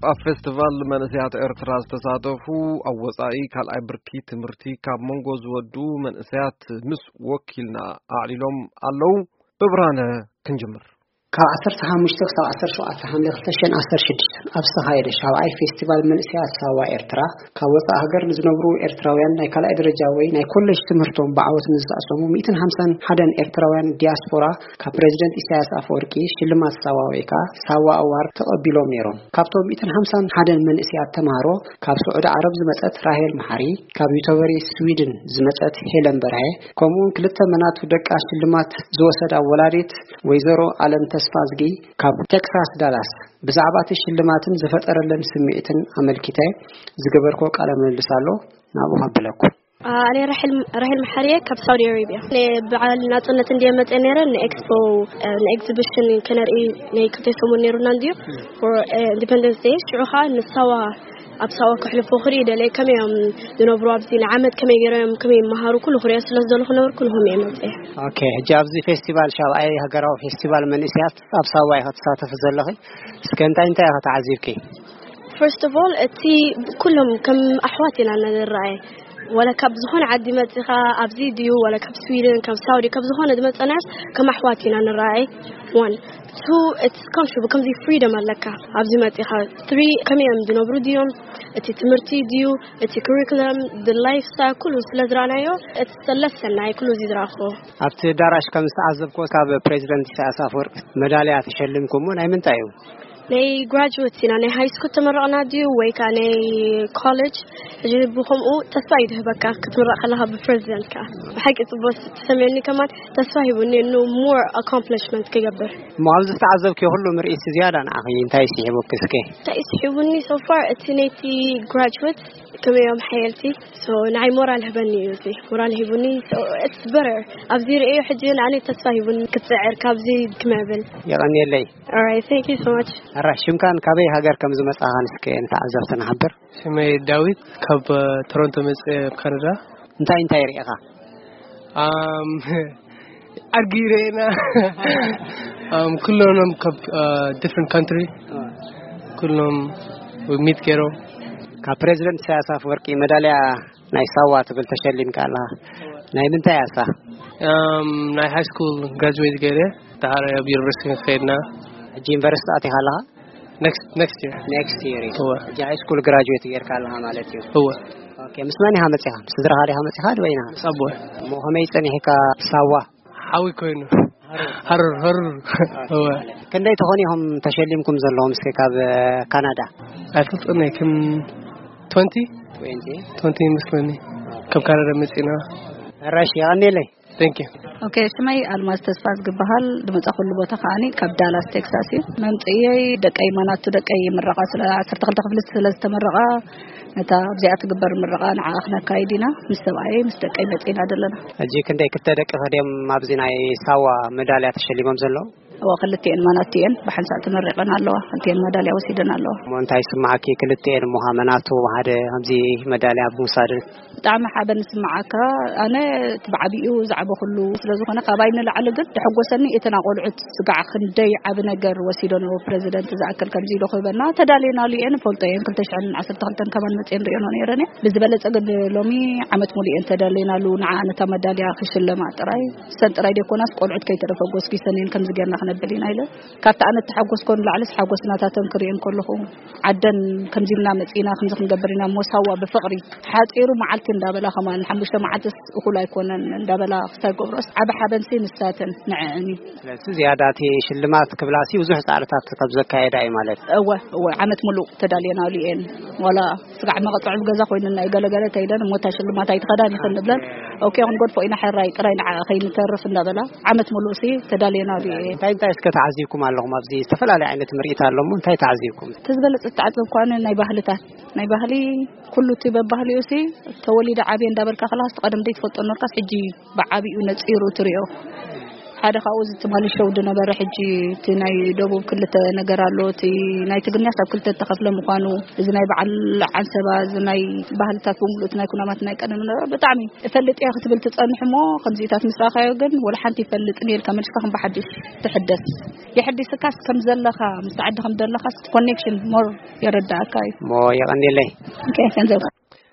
ኣብ ፌስቲቫል መንእሰያት ኤርትራ ዝተሳተፉ ኣብ ወጻኢ ካልኣይ ብርኪ ትምህርቲ ካብ መንጎ ዝወዱ መንእሰያት ምስ ወኪልና ኣዕሊሎም ኣለዉ። ብብርሃነ ክንጅምር። ካብ ዓሰርተ ሓሙሽተ ክሳብ ዓሰርተ ሸውዓተ ሓምለ ክልተ ሽሕን ዓሰርተ ሽዱሽተ ኣብ ዝተኻየደ ሻብዓይ ፌስቲቫል መንእሰያት ሳዋ ኤርትራ፣ ካብ ወጻኢ ሃገር ንዝነብሩ ኤርትራውያን ናይ ካልኣይ ደረጃ ወይ ናይ ኮሌጅ ትምህርቶም ብዓወት ንዝኣሰሙ ሚእትን ሓምሳን ሓደን ኤርትራውያን ዲያስፖራ ካብ ፕሬዚደንት ኢሳያስ ኣፈወርቂ ሽልማት ሳዋ ወይ ከዓ ሳዋ ኣዋርድ ተቐቢሎም ነይሮም። ካብቶም ሚእትን ሓምሳን ሓደን መንእሰያት ተምሃሮ ካብ ስዑዲ ዓረብ ዝመጸት ራሄል መሓሪ፣ ካብ ዩቶበሪ ስዊድን ዝመጸት ሄለን በርሀ፣ ከምኡውን ክልተ መናቱ ደቃ ሽልማት ዝወሰዳ ወላዲት ወይዘሮ ኣለም ተስፋዝጊ ካብ ቴክሳስ ዳላስ ብዛዕባ እቲ ሽልማትን ዝፈጠረለን ስምዒትን ኣመልኪተ ዝገበርኮ ቃለ ምልልስ ኣሎ። ናብኡ ከብለኩም። ኣነ ራሄል ራሄል መሓርየ ካብ ሳውዲ ኣረቢያ። ናይ በዓል ናጽነት እንድየ መጽየ ነይረ፣ ንኤክስፖ፣ ንኤግዚቢሽን ከነርኢ ናይ ክልተ ሰሙን ነይሩና እንድዩ። ፎር ኢንዲፐንደንስ ዴይ ሽዑ ከዓ ንሳዋ ኣብ ሳዋ ክሕልፎ ክርኢ ደለየ። ከመይ እዮም ዝነብሩ ኣብዚ ንዓመት ከመይ ገይሮም ከመይ ይመሃሩ ኩሉ ክሪኦ ስለ ዝደለኹ ነበርኩ ንሆም እየ መጽየ። ኦኬ፣ ሕጂ ኣብዚ ፌስቲቫል ሻብዓይ ሃገራዊ ፌስቲቫል መንእሰያት ኣብ ሳዋ ኢኻ ትሳተፊ ዘለኺ። እስከ እንታይ እንታይ ኢኻ ተዓዚብኪ? ፈርስት ኦፍ ኦል እቲ ኩሎም ከም ኣሕዋት ኢና ንረኣየ። ዋላ ካብ ዝኾነ ዓዲ መጺኻ ኣብዚ ድዩ ዋላ ካብ ስዊድን ካብ ሳውዲ ካብ ዝኾነ ዝመጸናስ ከም ኣሕዋት ኢና ንረኣየ። ዋን ቱ ኢትስ ኮምፎርታብል ከምዚ ፍሪደም ኣለካ ኣብዚ መጺኻ። ትሪ ከመይ እዮም ዝነብሩ ድዮም እቲ ትምህርቲ ድዩ እቲ ኩሪኩለም ላይፍ ስታይል ኩሉ ስለ ዝረኣናዮ። ኢትስ ለሰን ናይ ኩሉ እዚ ዝረኣኽዎ። ኣብቲ ኣዳራሽ ከም ዝተዓዘብኩዎ ካብ ፕሬዚደንት ኢሳያስ ኣፈወርቂ መዳልያ ተሸሊምኩሞ ናይ ምንታይ እዩ? ናይ ግራጁዌት ኢና ናይ ሃይ ስኩል ተመረቕና ድዩ ወይ ከዓ ናይ ኮሌጅ? ሕጂ ብከምኡ ተስፋ ይድህበካ ክትምረቕ ከለኻ ብፕሬዚደንት ከዓ። ብሓቂ ጽቡቅ ተሰሚዑኒ ከማን ተስፋ ሂቡኒ ኑ ሞር ኣኮምፕሊሽመንት ክገብር። እሞ ኣብዚ ዝተዓዘብክዮ ኩሉ ምርኢት ዝያዳ ንዓኺ እንታይ ስሒቡኪ እስከ? እንታይ ስሒቡኒ ሶፋር እቲ ነይቲ ግራጁዌት ከመይ እዮም ሓየልቲ። ሶ ንዓይ ሞራል ህበኒ እዩ እዚ ሞራል ሂቡኒ። ኢትስ በረር ኣብዚ ርእዮ ሕጂ ንኣነ ተስፋ ሂቡኒ ክጽዕር ካብዚ ክመብል። የቐንየለይ። Alright, thank you so much. ኣራ ሽምካን ካበይ ሃገር ከም ዝመጻኻን እስከ ንተዓዘብቲ ንሓብር። ሽመይ ዳዊት ካብ ቶሮንቶ መጽ ካናዳ። እንታይ እንታይ ርኢኻ? ኣም ኣድጊ ርኤና። ኣም ኩሎም ካብ ዲፍረንት ካንትሪ ኩሎም ሚት ገይሮም። ካብ ፕሬዚደንት ኢሳያስ ኣፈወርቂ መዳልያ ናይ ሳዋ ትብል ተሸሊምካ ኣለኻ። ናይ ምንታይ እያ እሳ? ኣም ናይ ሃይ ስኩል ግራጁዌት ገይረ። ደሓር ኣብ ዩኒቨርሲቲ ከይድና። ሕጂ ዩኒቨርሲቲ ኣቲኻ ኣለኻ? ኔክስት ኔክስት ይር። ኔክስት ይር እዩ። እወ። ሕጂ ሃይ ስኩል ግራጁዌት ጌርካ ኣለኻ ማለት እዩ። እወ። ኦኬ፣ ምስ መን ኢኻ መጺኻ? ምስ ስድራኻ ዲኻ መጺኻ ድበይና? ምስ ኣቦ። እሞ ከመይ ጸኒሕካ ሳዋ? ሓዊ ኮይኑ። ሃሩር ሃሩር። እወ። ክንደይ ትኾኑ ኢኹም ተሸሊምኩም ዘለኹም እስከ ካብ ካናዳ? ኣይፈልጥን እየ፣ ከም ትወንቲ ትወንቲ። ትወንቲ ይመስለኒ። ካብ ካናዳ መጺና። ራሽ የቐንየለይ። Thank you. ኦኬ፣ ሽመይ ኣልማዝ ተስፋ ዝግበሃል። ዝመጻኹሉ ቦታ ከዓኒ ካብ ዳላስ ቴክሳስ እዩ። መምጽእየይ ደቀይ ማናቱ ደቀይ ምረቓ ስለ ዓሰርተ ክልተ ክፍሊ ስለ ዝተመረቓ ነታ ኣብዚኣ ትግበር ምረቓ ንዓ ክነካይድ ኢና ምስ ሰብኣየይ ምስ ደቀይ መጺና ዘለና። ሕጂ ክንደይ ክልተ ደቂ ከድዮም ኣብዚ ናይ ሳዋ መዳልያ ተሸሊሞም ዘለዉ? እወ፣ ክልቲኤን ማናቱ እየን ብሓንሳእ ተመሪቐን ኣለዋ። ክልቲኤን መዳልያ ወሲደን ኣለዋ። እሞ እንታይ ይስምዓኪ ክልቲኤን እሞ ማናቱ ሓደ ከምዚ መዳልያ ብምውሳድ? ብጣዕሚ ሓበን ዝስምዓካ። ኣነ እቲ ብዓቢኡ ዝዓበኹሉ ስለ ዝኾነ ካባይ ንላዕሊ ግን ደሐጎሰኒ እቲ ናቆልዑት ስጋዕ ክንደይ ዓቢ ነገር ወሲዶ ነበሩ። ፕረዚደንት ዝኣክል ከምዚ ኢሉ ክህበና ተዳልየናሉ እየ ንፈልጦ እየ። ክልተ ሽሕን ዓሰርተ ክልተን ከማን መፅየ ንሪኦ ነይረን እየ። ብዝበለፀ ግን ሎሚ ዓመት ሙሉ እየን ተዳልየናሉ። ንዓ ነታ መዳልያ ክሽለማ ጥራይ ሰን ጥራይ ደይኮናስ ቆልዑት ከይተረፈ ጎስጊሰን እየን ከምዚ ጌርና ክነብል ኢና ኢለ ካብቲ ኣነ እተሓጎስኮ ንላዕሊ ሓጎስ ናታተን ክርእየን ከለኹ ዓደን ከምዚ ኢልና መጺና ከምዚ ክንገብር ኢና እሞ ሳዋ ብፍቕሪ ሓጺሩ መዓልቲ እንዳበላ ከማን ሓሙሽተ መዓልትስ እኹል ኣይኮነን እንዳበላ ክሳይ ገብሮስ ዓቢ ሓበንሲ ንሳተን ንዕዕን እዩ። ስለዚ ዝያዳ እቲ ሽልማት ክብላሲ ብዙሕ ጻዕርታት ከም ዘካየዳ እዩ ማለት። እወ እወ ዓመት ሙሉእ ተዳልየናሉ እየን ዋላ ስጋዕ መቐጥዑ ገዛ ኮይንና እዩ ገለገለ ተይለን እሞ እታ ሽልማት ኣይትኸዳን ይኽን ንብለን ኦኬ ክንገድፎ ኢና ሕራይ ጥራይ ንዓ ከይንተርፍ እንዳበላ ዓመት ሙሉእ ሲ ተዳልየናሉ እየ። እንታይ እንታይ እስከ ተዓዚብኩም ኣለኹም ኣብዚ ዝተፈላለዩ ዓይነት ምርኢት ኣሎ እሞ እንታይ ተዓዚብኩም? እቲ ዝበለጸ ዝተዓዘብኩ ኣነ ናይ ባህልታት ናይ ባህሊ ኩሉ እቲ በባህሊኡ ሲ ተወሊደ ዓብየ እንዳበልካ ከለካ ቀደም ዘይትፈልጦ ነበርካስ ሕጂ ብዓቢኡ ነጺሩ ትሪኦ። ሓደ ካብኡ እዚ ትማሊ ሸው ዝነበረ፣ ሕጂ እቲ ናይ ደቡብ ክልተ ነገር ኣሎ። እቲ ናይ ትግርኛ ካብ ክልተ ተኸፍለ ምዃኑ፣ እዚ ናይ በዓል ዓንሰባ፣ እዚ ናይ ባህልታት ብምሉእ ናይ ኩናማት ናይ ቀደም ነበረ። ብጣዕሚ እፈልጥ እየ ክትብል ትጸንሕ እሞ፣ ከምዚታት ምስ ረኣኻዮ ግን ወላ ሓንቲ ይፈልጥን እየ ኢልካ መልስካ ከም ብሓድሽ ትሕደስ። የሕዲስካስ ከም ዘለኻ፣ ምስ ዓዲ ከም ዘለኻ ኮኔክሽን ሞር የረዳእካ እዩ። እሞ የቐንየለይ። ኦኬ፣ ገንዘብ